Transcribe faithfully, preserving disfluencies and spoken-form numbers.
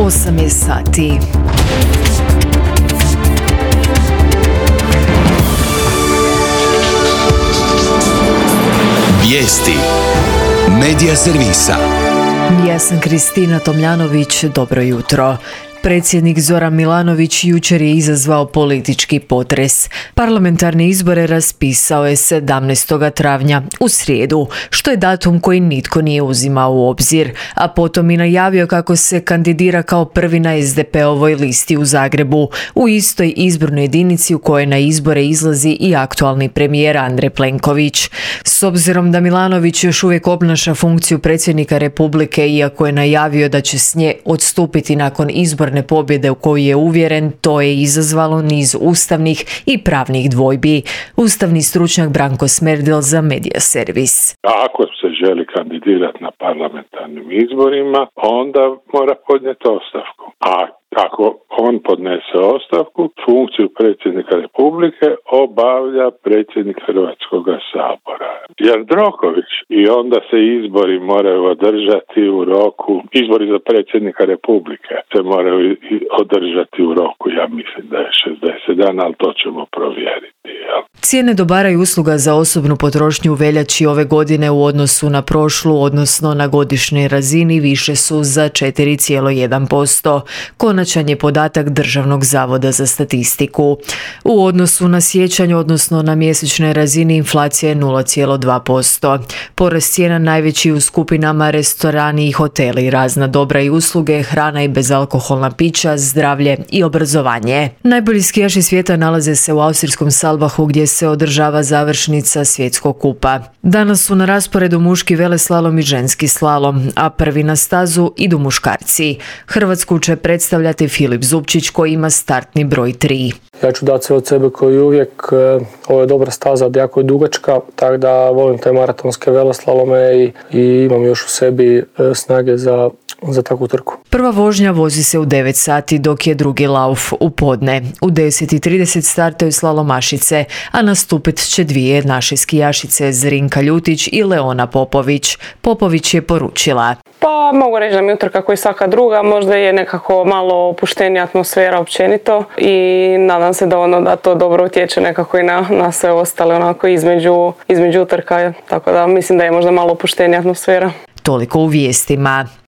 osam je sati. Vijesti Medija servisa. Ja sam Kristina Tomljanović, dobro jutro. Predsjednik Zoran Milanović jučer je izazvao politički potres. Parlamentarne izbore raspisao je sedamnaestog travnja, u srijedu, što je datum koji nitko nije uzimao u obzir, a potom i najavio kako se kandidira kao prvi na es de pe ovoj listi u Zagrebu, u istoj izbornoj jedinici u kojoj na izbore izlazi i aktualni premijer Andrej Plenković. S obzirom da Milanović još uvijek obnaša funkciju predsjednika Republike, iako je najavio da će s nje odstupiti nakon izborne pobjede u koju je uvjeren, to je izazvalo niz ustavnih i pravnih dvojbi. Ustavni stručnjak Branko Smerdel za Medija servis. Ako se želi kandidirati na parlamentarnim izborima, onda mora podnijeti ostavku. A ako on podnese ostavku, funkciju predsjednika Republike obavlja predsjednik Hrvatskog sabora Jandroković, i onda se izbori moraju održati u roku, izbori za predsjednika Republike se moraju održati u roku, ja mislim da je šezdeset dana, ali to ćemo provjeriti. Jel? Cijene dobara i usluga za osobnu potrošnju u veljači ove godine u odnosu na prošlu, odnosno na godišnjoj razini, više su za četiri zarez jedan posto. Konačan je podatak Državnog zavoda za statistiku. U odnosu na siječanj, odnosno na mjesečnoj razini, inflacija je nula zarez dva posto. Porast cijena najveći u skupinama restorani i hoteli, razna dobra i usluge, hrana i bezalkoholna pića, zdravlje i obrazovanje. Najbolji skijaši svijeta nalaze se u austrijskom Salbahu, gdje se održava završnica svjetskog kupa. Danas su na rasporedu muški veleslalom i ženski slalom, a prvi na stazu idu muškarci. Hrvatsku će predstavljati Filip Zupčić, koji ima startni broj tri. Ja ću dati sve od sebe koji uvijek. Ovo je dobra staza, jako je dugačka, tako da volim te maratonske veleslalome i, i imam još u sebi snage za, za takvu trku. Prva vožnja vozi se u devet sati, dok je drugi lauf u podne. U deset i trideset startaju slalomašice, a nastupit će dvije naše skijašice, Zrinka Ljutić i Leona Popović. Popović je poručila: Pa mogu reći da mi utrka kao i svaka druga, možda je nekako malo opuštenija atmosfera općenito i nadam se da ono da to dobro utječe nekako i na, na sve ostale onako između, između utrka, tako da mislim da je možda malo opuštenija atmosfera. Toliko u vijestima.